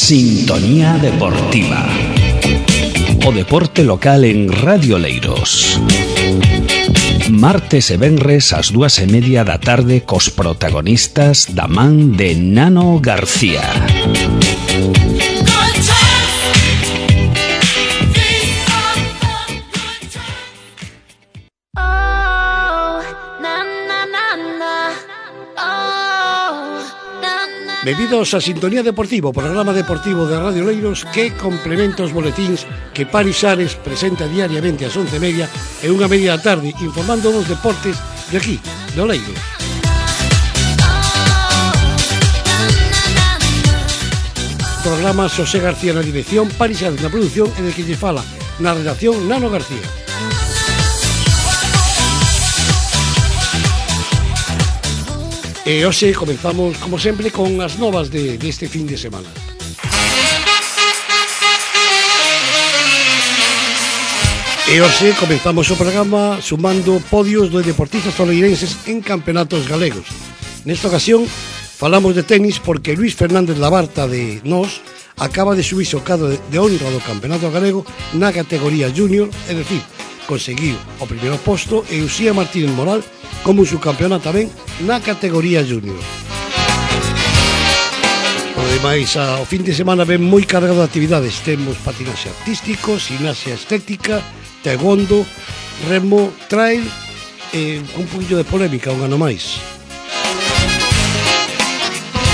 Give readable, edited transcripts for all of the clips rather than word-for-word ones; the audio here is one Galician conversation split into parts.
Sintonía Deportiva. O deporte local en Radio Oleiros. Martes e venres ás 2:30 da tarde cos protagonistas da man de Nano García. Benvidos a Sintonía Deportiva, o programa deportivo de Radio Oleiros que complementa os boletíns que Paris Ares presenta diariamente ás 11:30 e 1:30 da tarde, informando dos deportes de aquí, de Oleiros. Programa Xosé García na dirección, Paris Ares na produción e de que lle fala na redacción Nano García. E hoxe comenzamos, como sempre, con as novas deste fin de semana. E hoxe comenzamos o programa sumando podios de deportistas oleirenses en campeonatos galegos. Nesta ocasión falamos de tenis porque Luís Fernández Labarta de Nós acaba de subirse ao cadro de honra do campeonato galego na categoría junior, é dicir, conseguiu o primeiro posto, e Uxía Martínez Moral como subcampeona tamén na categoría junior. Ademais, ao fin de semana ven moi cargado de actividades. Temos patinaxe artístico, gimnasia estética, taekwondo, remo, trail e un poquillo de polémica, un ano máis.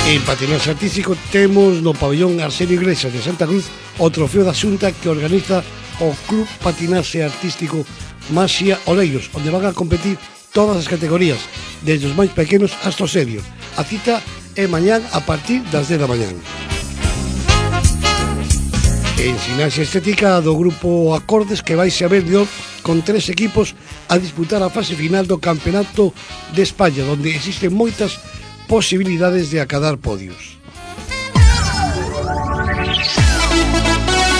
En patinaxe artístico temos no pabellón Arsenio Iglesias de Santa Cruz o trofeo da Xunta que organiza o Club Patinaxe Artístico Maxia Oleiros, onde van a competir todas as categorías, desde os máis pequenos hasta os serios. A cita é mañán a partir das 10 da mañán. En gimnasia estética do grupo Acordes, que vai a ver de con 3 equipos a disputar a fase final do Campeonato de España, onde existen moitas posibilidades de acadar podios.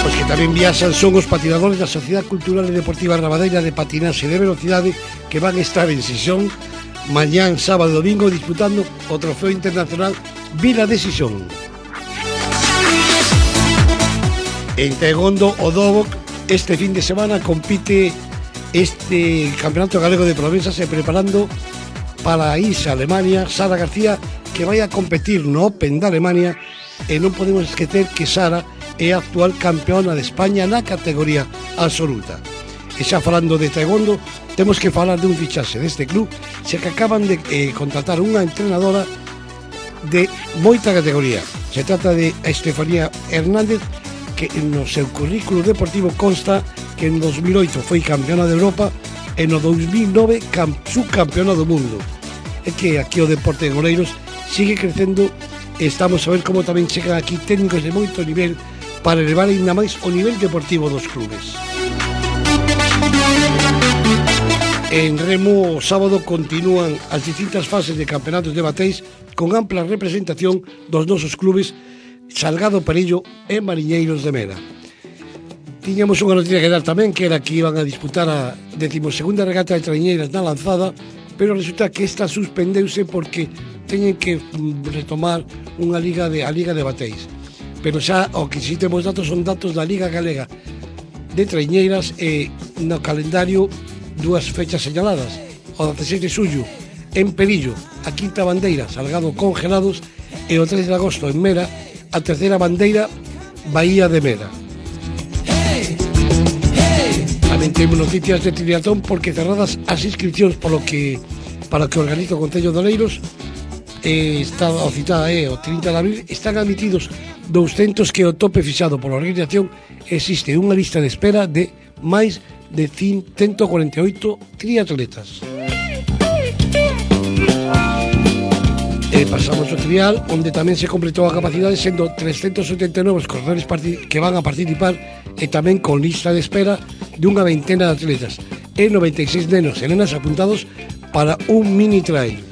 Os que tamén viaxan son os patinadores da Sociedade Cultural e Deportiva Rabadeira de Patinaxe de Velocidade, que van estar en Sixón mañán, sábado e domingo disputando o Trofeo Internacional Vila de Sixón. En taekwondo, o Dobok este fin de semana compite este Campeonato Galego de Provenzas e preparando para irse a Alemania Sara García, que vai a competir no Open de Alemania, e non podemos esquecer que Sara é a actual campeona de España na categoría absoluta. E xa falando de taekwondo, temos que falar de un fichaxe deste club, xa que acaban de contratar unha entrenadora de moita categoría. Se trata de Estefanía Hernández, que no seu currículo deportivo consta que en 2008 foi campeona de Europa e no 2009 subcampeona do mundo. É que aquí o deporte de Oleiros sigue crecendo e estamos a ver como tamén chegan aquí técnicos de moito nivel para elevar ainda máis o nivel deportivo dos clubes. En remo, o sábado continúan as distintas fases de campeonatos de bateis con ampla representación dos nosos clubes Salgado Perillo e Mariñeiros de Mera. Tiñamos unha noticia que dar tamén, que era que iban a disputar a 12ª regata de traiñeiras na Lanzada, pero resulta que esta suspendeuse porque teñen que retomar a liga de bateis. Pero xa o que si temos datos son datos da Liga Galega de Traiñeiras, e no calendario dúas fechas señaladas: o 16 de xullo en Perillo, a quinta bandeira Salgado Congelados, e o 3 de agosto en Mera, a terceira bandeira Bahía de Mera. Tamén temos noticias de triatlón porque cerradas as inscripcións para o que organiza o Concello de Oleiros. Está o citada o 30 de abril, están admitidos 200 que o tope fixado pola organización. Existe unha lista de espera de máis de 148 triatletas. Pasamos ao trial, onde tamén se completou a capacidade, sendo 379 os corredores que van a participar, e tamén con lista de espera de unha veintena de atletas e 96 nenos e nenas apuntados para un mini trail.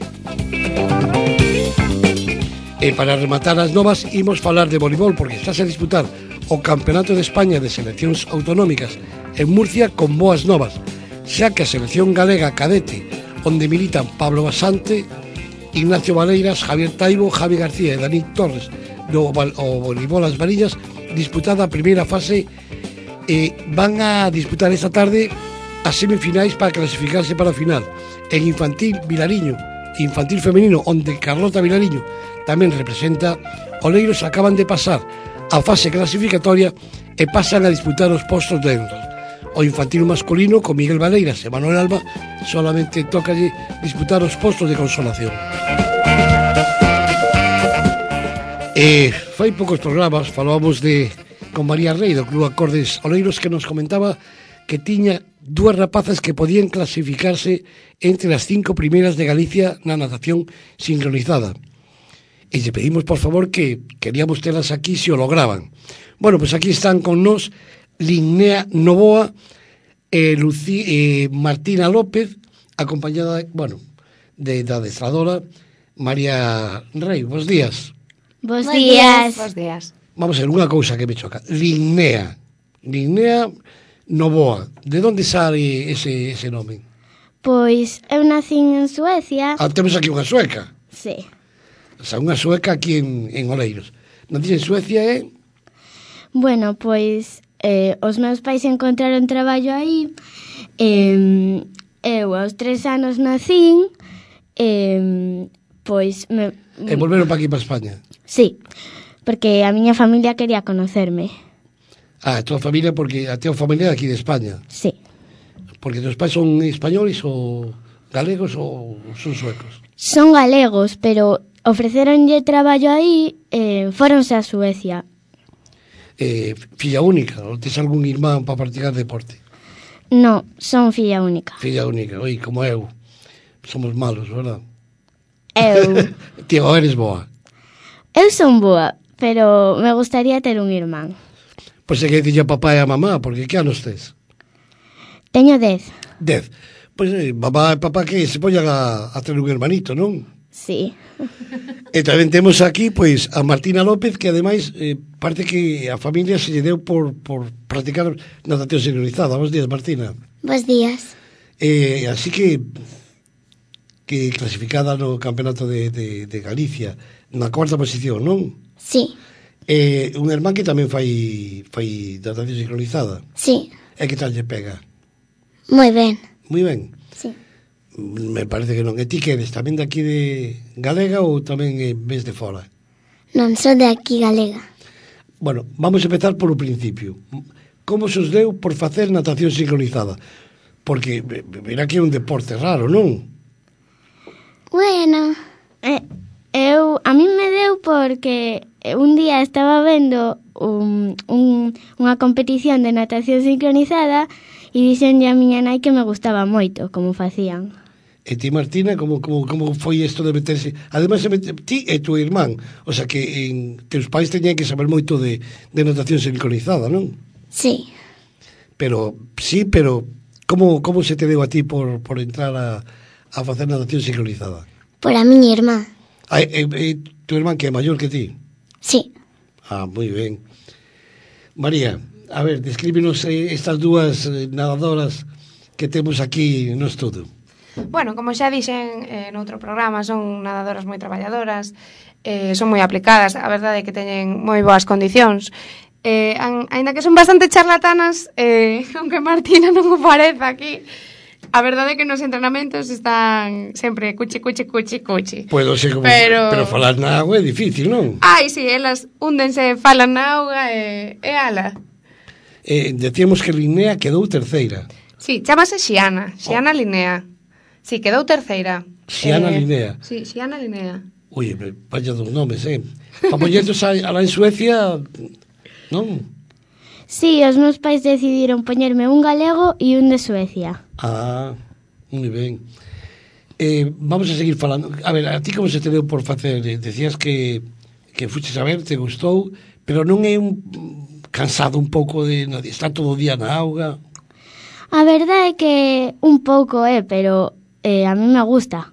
E para rematar as novas, imos falar de voleibol, porque estás a disputar o Campeonato de España de Seleccións Autonómicas en Murcia con boas novas, xa que a selección galega cadete, onde militan Pablo Basante, Ignacio Valeiras, Javier Taibo, Javi García e Dani Torres, o voleibol as varillas, disputada a primeira fase. Van a disputar esta tarde as semifinais para clasificarse para a final. En infantil, Vilariño, infantil femenino, onde Carlota Vilariño tamén representa, Oleiros acaban de pasar a fase clasificatoria e pasan a disputar os postos de honra. O infantil masculino, con Miguel Valeiras e Manuel Alba, solamente tocalle disputar os postos de consolación. Fai poucos programas falábamos con María Rey do Club Acordes Oleiros, que nos comentaba que tiña dúas rapazas que podían clasificarse entre as 5 primeiras de Galicia na natación sincronizada. E lle pedimos, por favor, que queríamos telas aquí se o lograban. Bueno, pues aquí están con nos Linnea Novoa e Martina López, acompañada, da adestradora María Rey. Bos días. Bos días. Bos días. Vamos a ver, unha cousa que me choca. Linnea Novoa. De onde sale ese nome? Pois eu nacín en Suecia. Temos aquí unha sueca. Sí. O sea, unha sueca aquí en Oleiros. Nacín en Suecia, Bueno, pois os meus pais encontraron traballo aí. Eu aos 3 anos nacín. Pois... E volveron para aquí, para España? Sí, porque a miña familia quería conocerme. A tua familia, porque a tua familia é aquí de España. Sí. Porque teus pais son españoles ou galegos ou son suecos? Son galegos, pero ofreceronlle traballo aí e fóronse a Suecia. Filla única, ou tes algún irmán para practicar deporte? No, son filla única. Filla única, oi, como eu. Somos malos, verdad? Eu... Tío, eres boa. Eu son boa, pero me gustaría ter un irmán. Pois é que dille a papá e a mamá, porque que anos tes? Teño 10. 10. Pois mamá e papá que se poñan a ter un hermanito, non? Sí. E tamén temos aquí, pois, a Martina López, que ademais parece que a familia se lle deu por practicar natación sincronizada. Bos días, Martina. Bos días. Así que clasificada no Campeonato de Galicia na 4ª posición, non? Sí. Un irmán que tamén fai natación sincronizada. Sí. E que tal lle pega? Moi ben. Moi ben. Sí. Me parece que non. E ti que eres tamén de aquí de Galega ou tamén ves de fora? Non sou de aquí galega. Bueno, vamos a empezar por o principio. Como se os deu por facer natación sincronizada? Porque verá que é un deporte raro, non? Bueno. A mí me deu porque un día estaba vendo unha competición de natación sincronizada e dixenlle a miña nai que me gustaba moito como facían. E ti, Martina, como foi isto de meterse? Ademais, ti e tu irmán, o sea que teus pais teñan que saber moito de natación sincronizada, non? Sí. Pero como se te deu a ti por entrar a facer natación sincronizada? Por a miña irmá. Tu irmán que é maior que ti? Sí. Moi ben. María, a ver, descríbenos estas dúas nadadoras que temos aquí no estudo. Bueno, como xa dixen noutro programa, son nadadoras moi traballadoras, son moi aplicadas, a verdade é que teñen moi boas condicións. Aínda que son bastante charlatanas, aunque Martina non o parece aquí, a verdade é que nos entrenamentos están sempre cuchi. Puedo ser como, pero falar na auga é difícil, non? Ai, si, elas húndense, falan na auga e ala. Decíamos que Linnea quedou terceira. Sí, chamase Xiana Linnea. Sí, quedou terceira. Xiana Linnea. Sí, Xiana Linnea. Ui, vaya dos nomes, Pa poñertos alá en Suecia, non? Sí, os meus pais decidiron poñerme un galego e un de Suecia. Moi ben. Vamos a seguir falando. A ver, a ti como se te deu por facer? Decías que fuches a ver, te gustou, pero non é cansado un pouco de estar todo o día na auga? A verdade é que un pouco pero a mí me gusta.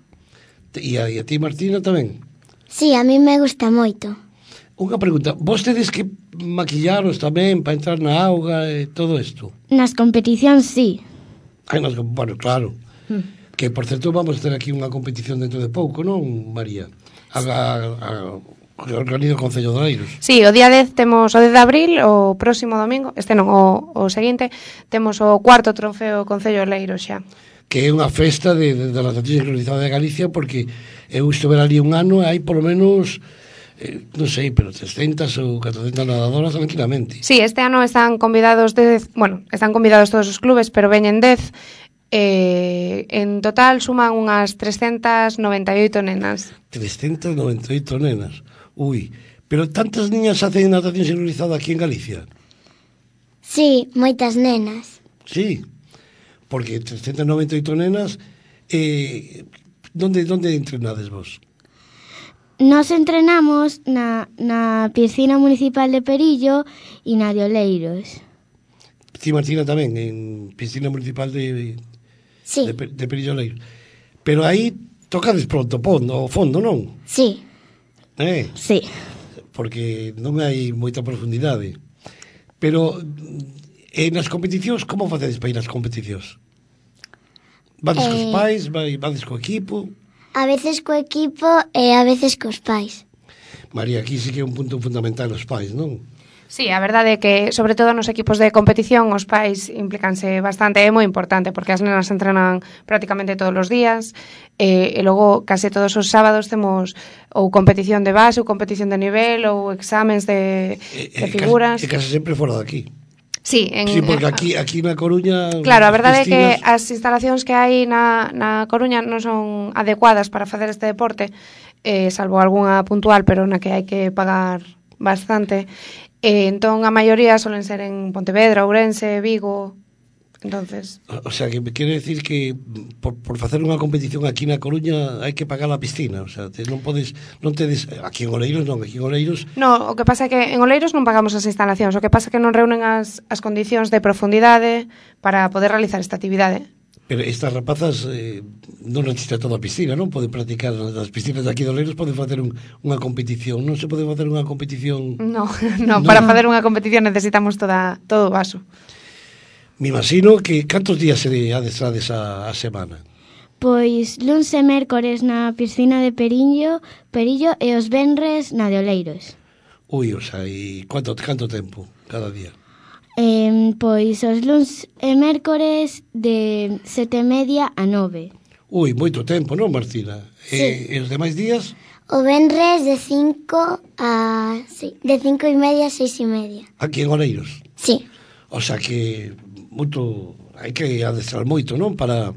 E a ti, Martina, tamén? Sí, a mí me gusta moito. Unha pregunta, vos tedes que maquillaros tamén para entrar na auga e todo isto? Nas competicións, sí. Bueno, claro. Que, por certo, vamos ter aquí unha competición dentro de pouco, non, María? Que organiza o Concello de Oleiros. Sí, o día 10 temos o 10 de abril, o próximo domingo, este non, o seguinte, temos o cuarto trofeo Concello de Oleiros xa. Que é unha festa de natación sincronizada de Galicia, porque eu estuve ali un ano e hai polo menos, non sei, pero 300 ou 400 nadadoras tranquilamente. Sí, este ano están convidados están convidados todos os clubes, pero veñen 10. En total suman unhas 398 nenas. 398 nenas. Ui, pero tantas niñas hacen natación sincronizada aquí en Galicia? Sí, moitas nenas. Sí, porque 398 nenas, donde entrenades vos? Nos entrenamos na piscina municipal de Perillo e na de Oleiros. Ti, Martina, tamén, en piscina municipal de Sí, Perillo Oleiros. Pero aí tocades pronto o fondo, non? sí. Sí. Porque non hai moita profundidade. Pero nas competicións, como facedes para ir ás competicións? Vades cos pais, vades co equipo? A veces co equipo e a veces cos pais. María, aquí sí que é un punto fundamental os pais, non? Sí, a verdade é que, sobre todo nos equipos de competición, os pais implicanse bastante, é moi importante, porque as nenas entrenan prácticamente todos os días, e logo case todos os sábados temos ou competición de base, ou competición de nivel, ou exámenes de figuras. E case sempre fora de aquí. Sí, Sí, porque aquí na Coruña... Claro, a verdade é que as instalacións que hai na Coruña non son adecuadas para facer este deporte, salvo algunha puntual, pero na que hai que pagar bastante. Entón, a maioría solen ser en Pontevedra, Ourense, Vigo. Entonces... O sea, que me quere decir que por facer unha competición aquí na Coruña hai que pagar a piscina, o sea, non tedes aquí en Oleiros non, aquí en Oleiros... No, o que pasa é que en Oleiros non pagamos as instalacións, o que pasa é que non reúnen as condicións de profundidade para poder realizar esta actividade. Pero estas rapazas non necesitan toda a piscina, non? Poden practicar nas piscinas de aquí de Oleiros, poden facer unha competición. Non se pode facer unha competición... No, para facer unha competición necesitamos todo o vaso. Me imagino que cantos días se adestrades a semana? Pois luns e mércores na piscina de Perillo e os venres na de Oleiros. Ui, o sea, e canto tempo cada día? Pois os luns e mércores de 7:30 a 9. Ui, moito tempo, non, Martina? Sí. E os demais días? O venres de 5 a... Sí, de 5:30 a 6:30. Aquí en Oleiros? Sí. O sea que hai que adestrar moito, non? Para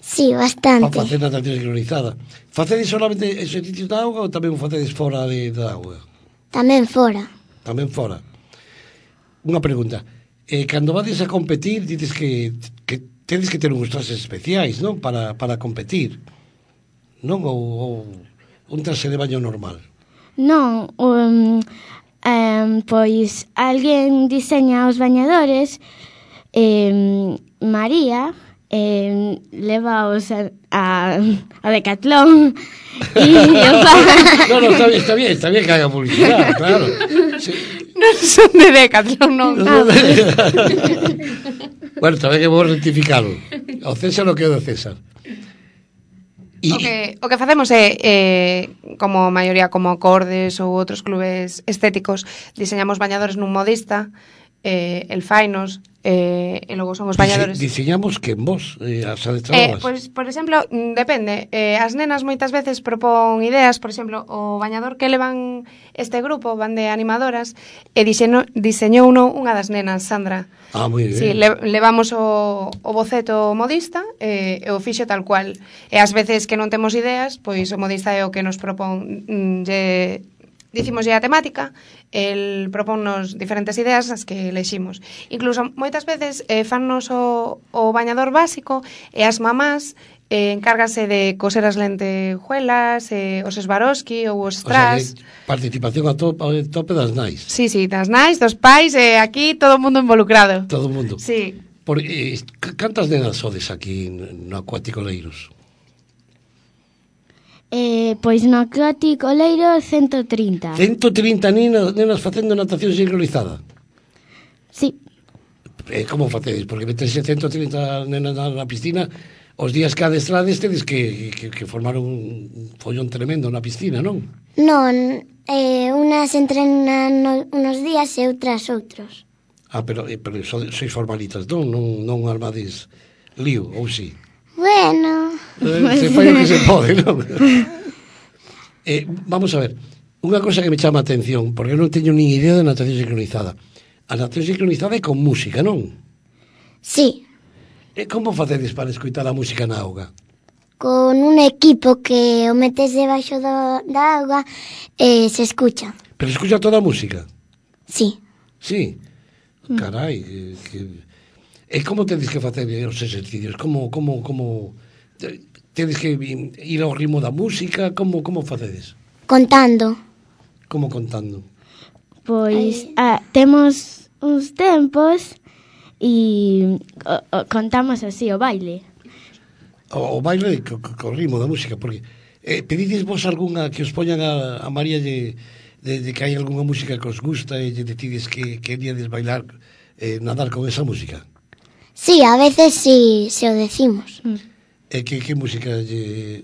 Sí, bastante. facer natación sincronizada. Facedes solamente exercicios da auga ou tamén o facedes fora da auga? Tamén fora. Tamén fora. Unha pregunta. Cando vades a competir, dices que tedes que ter uns trases especiais, non? Para competir. Non? Ou un trase de baño normal. Non, pois alguén diseña os bañadores, María levaos a Decathlon e o No, está bien que haga publicidade, claro. Sí. Non son de Decathlon, non. Bueno, tamén que vou rectificalo. O César o que é do César. O que facemos é, como a maioría, como Cordes ou outros clubes estéticos, diseñamos bañadores nun modista, el fainos, e logo son os bañadores. Diseñamos que en vos, as adestradoras? Pois, por exemplo, depende. As nenas moitas veces propón ideas, por exemplo, o bañador que levan este grupo, van de animadoras, e diseñou unha das nenas, Sandra. Ah, moi ben. Sí, levamos o boceto modista e o fixo tal cual. E ás veces que non temos ideas, pois o modista é o que nos propón, dicimoslle a temática, el propónnos diferentes ideas as que eleximos. Incluso moitas veces fannos o bañador básico e as mamás encárgase de coser as lentejuelas, os Swarovski ou os strass. O sea, participación a tope das nais. Sí, das nais, dos pais, aquí todo o mundo involucrado. Todo o mundo. Sí. Cantas nenas sodes aquí no Acuático Oleiros? Pois no Acuático Oleiros 130. 130 nenas facendo natación sincronizada? Sí. Como facedes? Porque meterse 130 nenas na piscina, os días que adestrades tedes que formar un follón tremendo na piscina, non? Non, unas entrenan unos días e outras outros. Pero sois formalitas, non? Non armades lío, ou si? Bueno... Se fai o que se pode, non? Vamos a ver, unha cosa que me chama a atención, porque eu non teño nin idea de natación sincronizada. A natación sincronizada é con música, non? Sí. E como facedes para escoitar a música na auga? Con un equipo que o metes debaixo da auga e se escucha. Pero escucha toda a música? Sí. Sí? Carai, e como tedes que facer os exercicios? Como tedes que ir ao ritmo da música? Como facedes? Contando. Como contando? Pois temos uns tempos e contamos así o baile. O baile co ritmo da música, porque pedides vos algunha que os poñan a María de que hai algunha música que os gusta e lle decides que queríades bailar, nadar con esa música? Sí, a veces sí se o decimos. E que música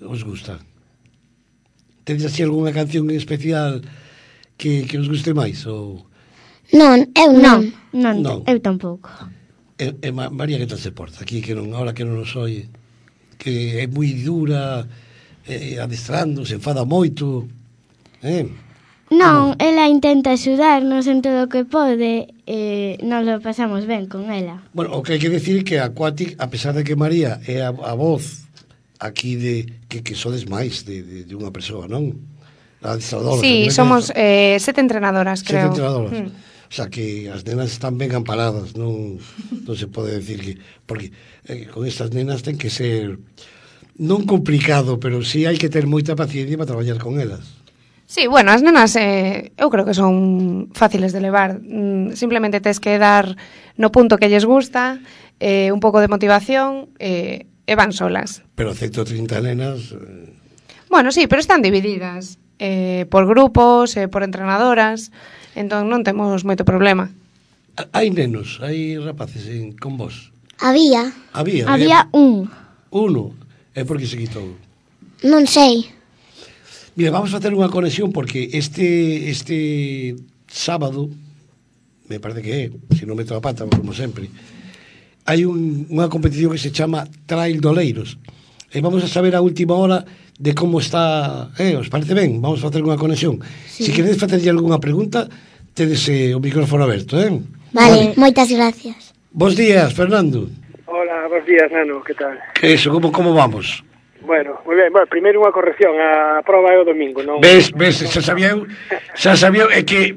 os gusta? Tedes así algunha canción en especial que os guste máis? Ou... Non, eu non. Non, eu tampouco. María, que tal se porta? Aquí, ahora que non nos oye, que é moi dura, adestrando, se enfada moito, Non, ela intenta axudarnos en todo o que pode e nos lo pasamos ben con ela. Bueno, o que hai que decir que a Aquatic, a pesar de que María é a voz aquí que sodes máis de unha persoa, non? Adestradora. Sí, somos 7 entrenadoras, creo. 7 entrenadoras. O sea, que as nenas están ben amparadas, non se pode decir que... Porque con estas nenas ten que ser non complicado, pero sí hai que ter moita paciencia para traballar con elas. Sí, bueno, as nenas eu creo que son fáciles de levar. Simplemente tes que dar no punto que lles gusta, un pouco de motivación e van solas. Pero 130 nenas... Bueno, sí, pero están divididas por grupos, por entrenadoras, entón non temos moito problema. Hai nenos, hai rapaces con vos? Había. Había un. Uno. É porque se quitou? Non sei. Mira, vamos a facer unha conexión porque este sábado, me parece que é, se non meto a pata, como sempre, hai unha competición que se chama Trail Doleiros. E vamos a saber a última hora de como está, os parece ben? Vamos a facer unha conexión. Sí. Se queredes facerlle algunha pregunta, tedes o micrófono aberto, Vale, moitas gracias. Bos días, Fernando. Hola, bos días, Nano, que tal? Que eso, como vamos? Bueno, moi ben. Bueno, primeiro unha corrección, a proba é o domingo, non? Ves, xa sabía eu, é que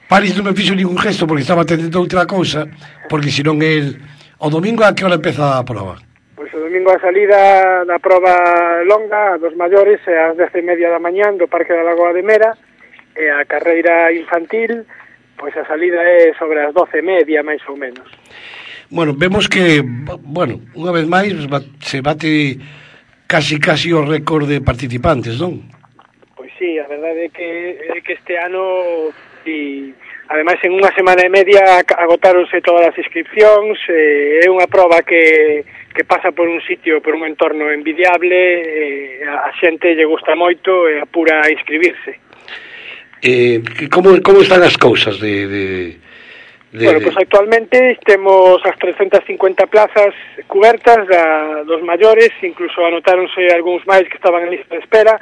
Paris non me fixo ningún gesto porque estaba atendendo outra cousa, porque senón o domingo a que hora empeza a proba? Pois o domingo a salida da proba longa dos maiores é ás 10:30 da mañán do Parque da Lagoa de Mera, e a carreira infantil, pois a salida é sobre as 12:30, máis ou menos. Bueno, vemos que, unha vez máis se bate casi o récord de participantes, non? Pois sí, a verdade é que este ano, e ademais en unha semana e media agotáronse todas as inscripcións, é unha proba que pasa por un sitio, por un entorno envidiable, a xente lle gusta moito e apura a inscribirse. Como están as cousas Bueno, pois actualmente temos as 350 plazas cubertas dos maiores, incluso anotáronse algúns máis que estaban en lista de espera,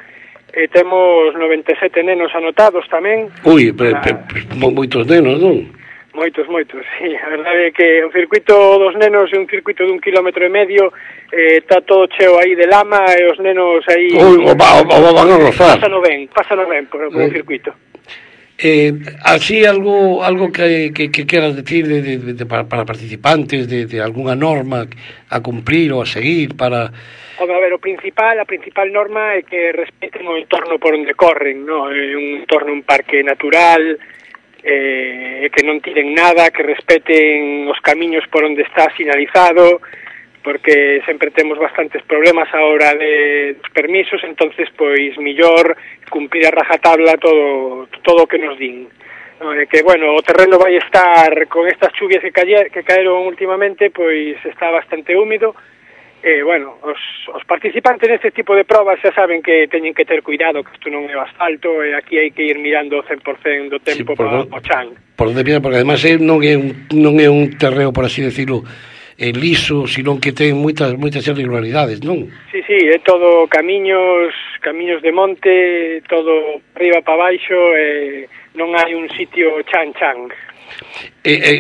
e temos 97 nenos anotados tamén. Ui, moitos nenos, non? Moitos, sí. A verdade é que o circuito dos nenos é un circuito de 1,5 km, está todo cheo aí de lama e os nenos aí... O van a rozar. Pásano ben por o circuito. Así algo que queras decir para participantes de alguna norma a cumprir ou a seguir para... A ver, a principal norma é que respeten o entorno por onde corren, no? Un entorno, un parque natural, que non tiren nada, que respeten os camiños por onde está sinalizado, porque sempre temos bastantes problemas a hora de permisos, entonces pois millor cumprir a rajatabla todo o que nos din. No, que bueno, o terreno vai estar con estas chuvias que caeron últimamente, pois está bastante húmido, bueno, os participantes neste tipo de probas xa saben que teñen que ter cuidado, que isto non é o asfalto, e aquí hai que ir mirando o 100% do tempo para o chan. Por onde mira, porque además non é un terreo, por así decirlo, liso, sino que ten moitas irregularidades, non? Sí, é todo camiños de monte, todo arriba para baixo, non hai un sitio chan.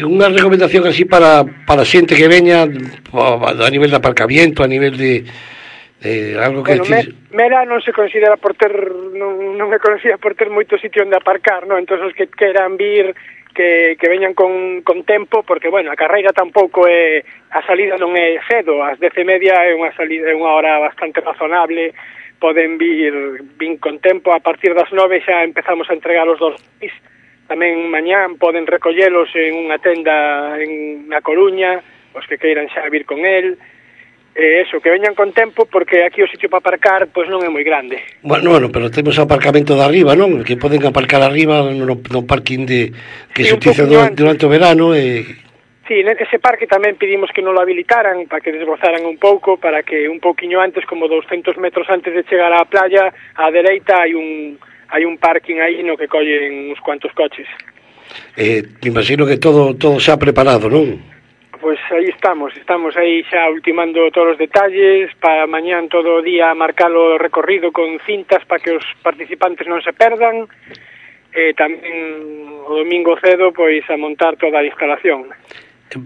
Unha recomendación así para xente que veña a nivel de aparcamiento, a nivel de algo que... Bueno, Mera non se considera por ter non é conocida por ter moito sitio onde aparcar, non? Entón os que queran vir que veñan con tempo, porque bueno, a carreira tampouco é, a salida non é cedo, ás 10:30 é unha hora bastante razonable, poden vir con tempo, a partir das 9 xa empezamos a entregar os 2 días. Tamén mañán poden recollelos en unha tenda na Coruña, os que queiran xa vir con el. Eso, que veñan con tempo, porque aquí o sitio para aparcar pois non é moi grande. Bueno, pero temos o aparcamento de arriba, non? Que poden aparcar arriba no parking que se utiliza durante o verano. Sí, nese parque tamén pedimos que non lo habilitaran, para que desbrozaran un pouco, para que un pouquiño antes, como 200 metros antes de chegar á playa, á dereita hai un parking aí no que collen uns cuantos coches. Imagino que todo xa preparado, non? Pois aí estamos aí xa ultimando todos os detalles, para mañán todo o día marcar o recorrido con cintas para que os participantes non se perdan, e tamén o domingo cedo pois a montar toda a instalación.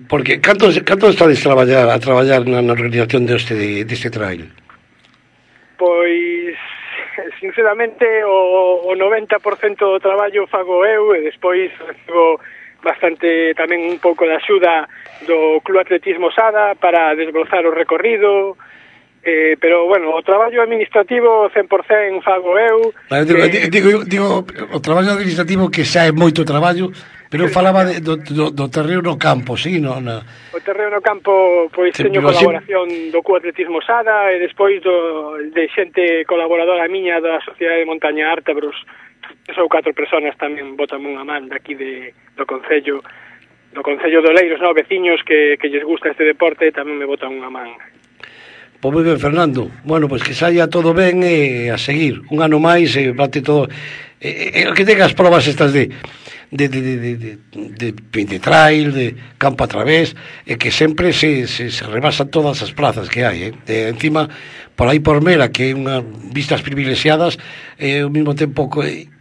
Porque canto estades a traballar na organización deste trail? Pois sinceramente o 90% do traballo fago eu, e despois recibo bastante tamén un pouco de axuda do Club Atletismo Sada para desbrozar o recorrido, pero bueno, o traballo administrativo 100% fago eu. Digo, o traballo administrativo que xa é moito traballo, pero falaba do terreo no campo, sí, O terreo no campo, pois teño colaboración do Club Atletismo Sada, e despois de xente colaboradora miña da Sociedade de Montaña Ártabros. 3 ou 4 personas tamén botan unha man daqui do Concello de Oleiros, no, veciños que lles gusta este deporte, tamén me botan unha man. Pois moi ben, Fernando. Bueno, pois que saia todo ben a seguir. Un ano máis e bate todo. Que tengas probas estas de trail, de campo a través, e que sempre se rebasan todas as plazas que hai, encima, por aí por Mera, que é unha vistas privilexiadas, ao mesmo tempo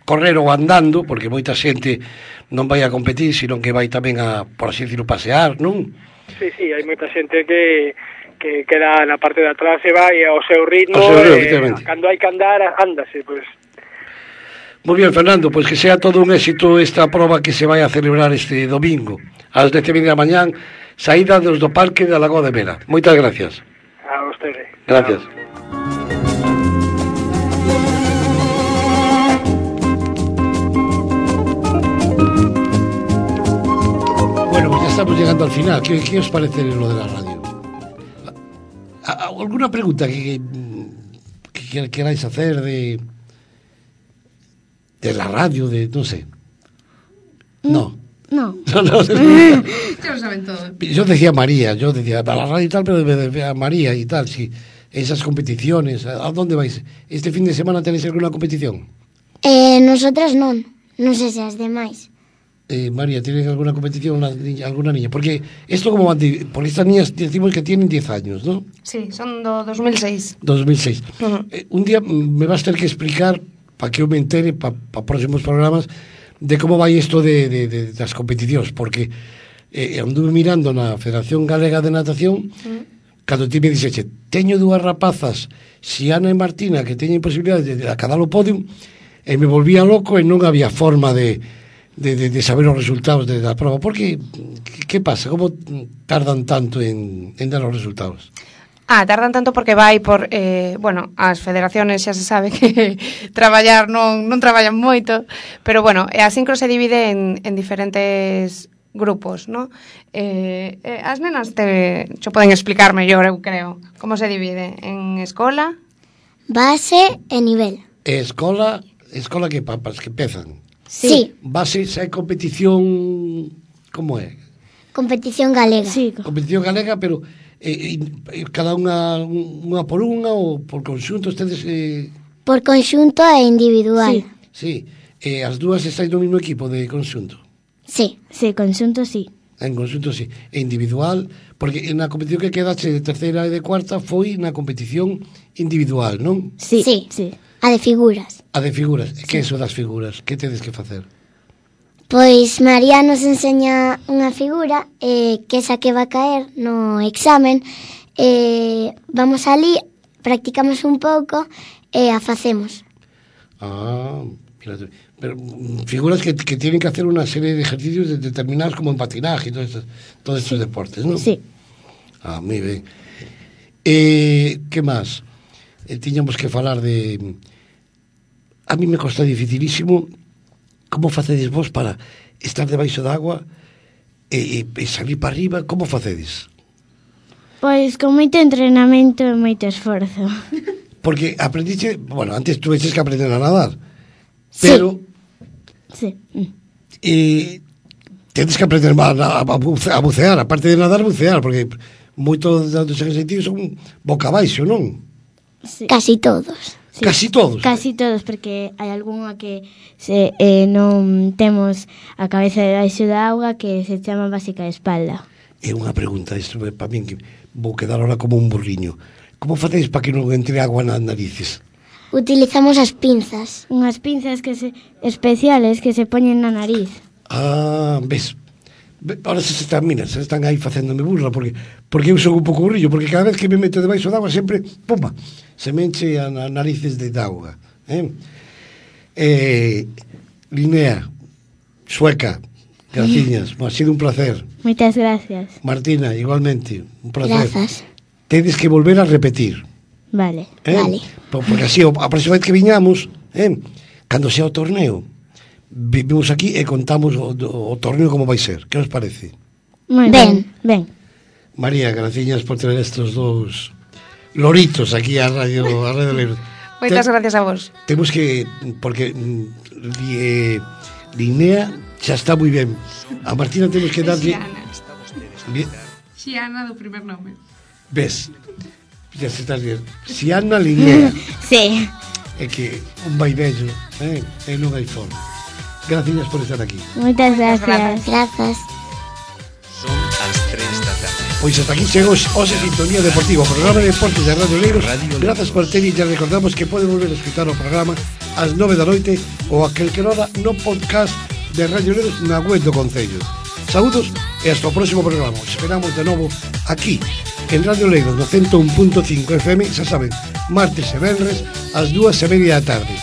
correr ou andando, porque moita xente non vai a competir, sino que vai tamén a, por así decirlo, pasear, non? Sí, hai moita xente que queda na parte de atrás e vai ao seu ritmo, cando hai que andar, ándase, pois. Moi bien, Fernando, pois que sea todo un éxito esta proba que se vai a celebrar este domingo ás 10:30 da mañán, saída do Parque da Lagoa de Mera. Moitas gracias. A vostede. Gracias. Bueno, pues ya estamos llegando al final. ¿Qué os parece lo de la radio? ¿Alguna pregunta que queráis hacer de la radio, no sé? No. Ya lo saben todo. Yo decía María, para la radio y tal, pero decía María y tal, sí. Esas competiciones, ¿a dónde vais? ¿Este fin de semana tenéis alguna competición? Nosotras non sei se as demais. María, ¿tienes alguna competición, alguna niña? Porque esto como por estas niñas decimos que tienen 10 años, ¿no? Sí, son do 2006. 2006. Un día me vas a tener que explicar, para que eu me entere, para próximos programas, de como vai isto das competicións, porque anduve mirando na Federación Galega de Natación, cando ti me dixeche, teño 2 rapazas, Xiana e Martina, que teñen posibilidade de acadar o podio, e me volvía loco e non había forma de saber os resultados da prova. Porque, que pasa? Como tardan tanto en dar os resultados? Tardan tanto porque vai por, as federaciones xa se sabe que traballar non traballan moito, pero bueno, a sincro se divide en diferentes grupos, ¿no? As nenas xo poden explicar mellor, eu creo, como se divide en escola, base e nivel. Escola que papas que empezan. Sí. Base, se hai competición, como é? Competición galega. Sí. Competición galega, pero cada unha por unha ou por conxunto ustedes... Por conxunto e individual. Sí, as dúas estáis no mesmo equipo de conxunto. Sí. Sí, conxunto sí. En conxunto sí, e individual, porque na competición que quedache de terceira e de cuarta foi na competición individual, non? Sí. Sí. Sí. A de figuras. A de figuras, que é iso das figuras? Que tedes que facer? Pois María nos enseña unha figura que esa que va a caer no examen. Vamos ali, practicamos un pouco e a facemos. Mira, pero figuras que tienen que hacer una serie de ejercicios determinados como en patinaje y todos estos deportes, ¿no? Sí. Moi ben. Que máis? Tiñamos que falar de... A mí me costa dificilísimo como facedes vos para estar debaixo da agua e salir para arriba, como facedes? Pois con moito entrenamento e moito esforzo. Porque aprendiche, bueno, antes tuveches que aprender a nadar, pero Sí. tedes que aprender a bucear, aparte de nadar, bucear, porque moitos dos ejercicios son boca abaixo, non? Sí. Casi todos. Sí. Casi todos. Casi todos, porque hai algunha que non temos a cabeza debaixo da auga que se chama básica de espalda. É unha pregunta, isto para min que vou quedar ahora como un burriño. Como facedes para que non entre agua nas narices? Utilizamos as pinzas. Unhas pinzas especiales que se poñen na nariz. Ves. Ahora se están aí facéndome burla porque eu son un pouco burrillo, porque cada vez que me meto debaixo da agua sempre, pumba, se me enche as narices de auga. Linnea, Sueca, graciñas, ha sido un placer. Moitas gracias. Martina, igualmente, un placer. Grazas. Tedes que volver a repetir. Vale. Vale. Porque así, a próxima vez que viñamos, cando sea o torneo, vivimos aquí e contamos o torneo como vai ser. Que os parece? Moi Ben. Ben. María, graciñas por traer estos dous loritos aquí a Radio Leiros. Moitas gracias a vos. Temos que, porque Linnea xa está moi ben. A Martina temos que darlle... Xiana do primer nome. Ves, xa se estás bien. Xiana Linnea. Sí. É que un vai bello, e non hai forma. Gracias por estar aquí. Moitas gracias. Grazas. Son as 3 da tarde. Pois hasta aquí chegou Ose Sintonía Deportiva, o programa de deportes de Radio Leiros. Grazas por ter e ya recordamos que pode volver a escutar o programa ás 9 da noite ou a calquer hora no podcast de Radio Leiros na web do Concello. Saúdos e hasta o próximo programa. Os esperamos de novo aquí en Radio Leiros no 101.5 FM, xa saben, martes e venres ás 2:30 da tarde.